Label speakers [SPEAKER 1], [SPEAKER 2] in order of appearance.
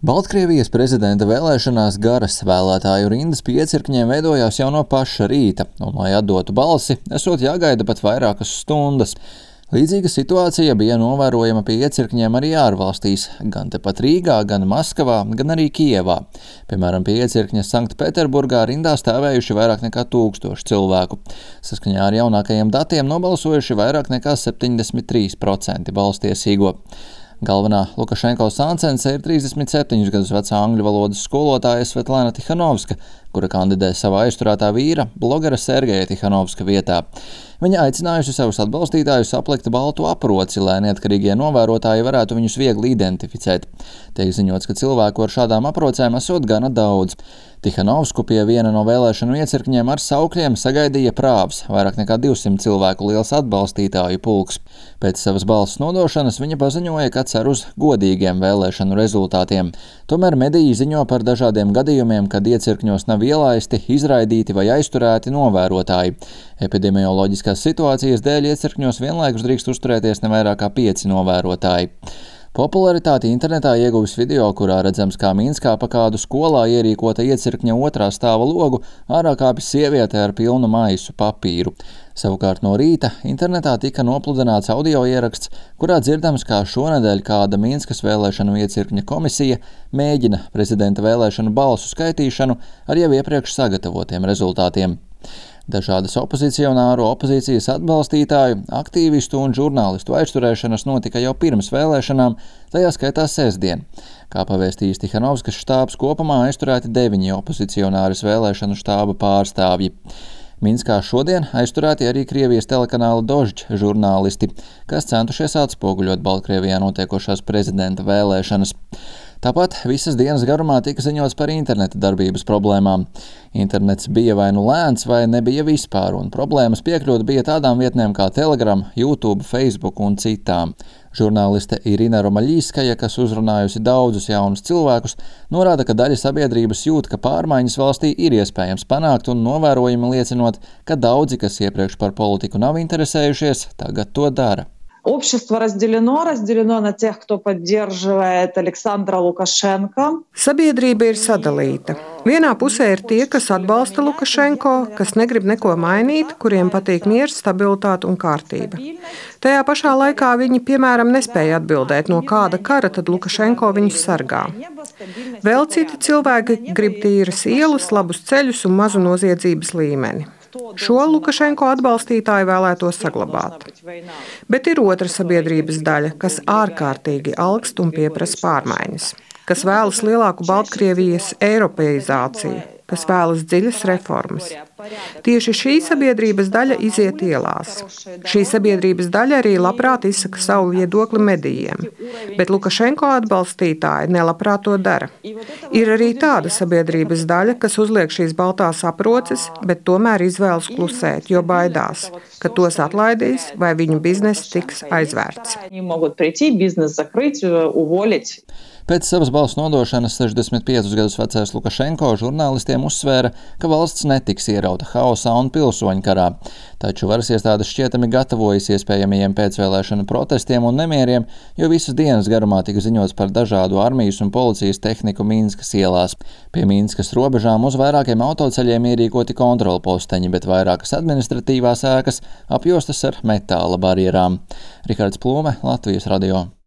[SPEAKER 1] Baltkrievijas prezidenta vēlēšanās garas vēlētāju rindas pie iecirkņiem veidojās jau no paša rīta, un, lai atdotu balsi, esot jāgaida pat vairākas stundas. Līdzīga situācija bija novērojama pie iecirkņiem arī ārvalstīs, gan tepat Rīgā, gan Maskavā, gan arī Kijevā. Piemēram, pie iecirkņa Sanktpēterburgā rindā stāvējuši vairāk nekā 1000 cilvēku. Saskaņā ar jaunākajiem datiem nobalsojuši vairāk nekā 73% balstiesīgo. Galvenā Lukašenko sāncence ir 37 gadus vecā angļu valodas skolotāja Svetlana Tihanovska, kura kandidē savā aizturētā vīra, blogera Sergeja Tihanovska vietā. Viņa aicinājusi savus atbalstītājus aplikt baltu aproci, lai neatkarīgie novērotāji varētu viņus viegli identificēt. Tiek ziņots, ka cilvēku ar šādām aprocēm esot gana daudz. Tihanovsku pie viena no vēlēšanu iecirkņiem ar saukļiem sagaidīja prāvs, vairāk nekā 200 cilvēku liels atbalstītāju pulks. Pēc savas balss nodošanas viņa paziņoja, ka cer uz godīgiem vēlēšanu rezultātiem. Tomēr mediji ziņo par dažādiem gadījumiem, kad iecirkņos nav ielaisti, izraidīti vai aizturēti novērotāji. Epidemioloģiskās situācijas dēļ iecirkņos vienlaikus drīkst uzturēties ne vairāk kā 5 novērotāji. Popularitāti internetā ieguvis video, kurā redzams, kā Minskā pa kādu skolā ierīkota iecirkņa otrā stāva logu ārā kāpj sieviete ar pilnu maisu papīru. Savukārt no rīta internetā tika nopludināts audio ieraksts, kurā dzirdams, kā šonedēļ kāda Minskas vēlēšanu iecirkņa komisija mēģina prezidenta vēlēšanu balsu skaitīšanu ar jau iepriekš sagatavotiem rezultātiem. Dažādas opozīcijas atbalstītāju, aktīvistu un žurnālistu aizturēšanas notika jau pirms vēlēšanām, tajā skaitā sestdien. Kā pavēstījis Tihanovskas štābs, kopumā aizturēti 9 opozicionāris vēlēšanu štāba pārstāvji. Minskā šodien aizturēti arī Krievijas telekanāla Dožd žurnālisti, kas centušies atspoguļot Baltkrievijā notiekošās prezidenta vēlēšanas. Tāpat visas dienas garumā tika ziņots par interneta darbības problēmām. Internets bija vai nu lēns, vai nebija vispār, un problēmas piekļūt bija tādām vietnēm kā Telegram, YouTube, Facebook un citām. Žurnāliste Irina Romaļīskaja, kas uzrunājusi daudzus jaunus cilvēkus, norāda, ka daļa sabiedrības jūt, ka pārmaiņas valstī ir iespējams panākt, un novērojumi liecinot, ka daudzi, kas iepriekš par politiku nav interesējušies, tagad to dara.
[SPEAKER 2] Общество разделено на тех, кто поддерживает Александра Лукашенко.
[SPEAKER 3] Sabiedrība ir sadalīta. Vienā pusē ir tie, kas atbalsta Lukašenko, kas negrib neko mainīt, kuriem patīk miers, stabilitāte un kārtība. Tajā pašā laikā viņi, piemēram, nespēja atbildēt, no kāda kara tad Lukašenko viņus sargā. Vēl citi cilvēki grib tīras ielas, labus ceļus un mazu noziedzības līmeni. Šo Lukašenko atbalstītāju vēlētos saglabāt. Bet ir otra sabiedrības daļa, kas ārkārtīgi alkst un pieprasa pārmaiņas, kas vēlas lielāku Baltkrievijas eiropeizāciju, kas vēlas dziļas reformas. Tieši šī sabiedrības daļa iziet ielās. Šī sabiedrības daļa arī labprāt izsaka savu viedokli medijiem, bet Lukašenko atbalstītāji nelabprāt to dara. Ir arī tāda sabiedrības daļa, kas uzliek šīs baltās aproces, bet tomēr izvēlas klusēt, jo baidās, ka tos atlaidīs vai viņu bizness tiks aizvērts.
[SPEAKER 1] Pēc savas balsu nodošanas 65 gadus vecais Lukašenko žurnālistiem uzsvēra, ka valsts netiks ierauta haosā un pilsoņu karā. Taču varas iestādes šķietami gatavojas iespējamajiem pēcvēlēšanu protestiem un nemieriem, jo visas dienas garumā tika ziņots par dažādu armijas un policijas tehniku Minskas ielās. Pie Minskas robežām uz vairākiem autoceļiem ierīkoti kontrolposteņi, bet vairākas administratīvās ēkas apjostas ar metāla barjerām. Rihards Plūme, Latvijas radio.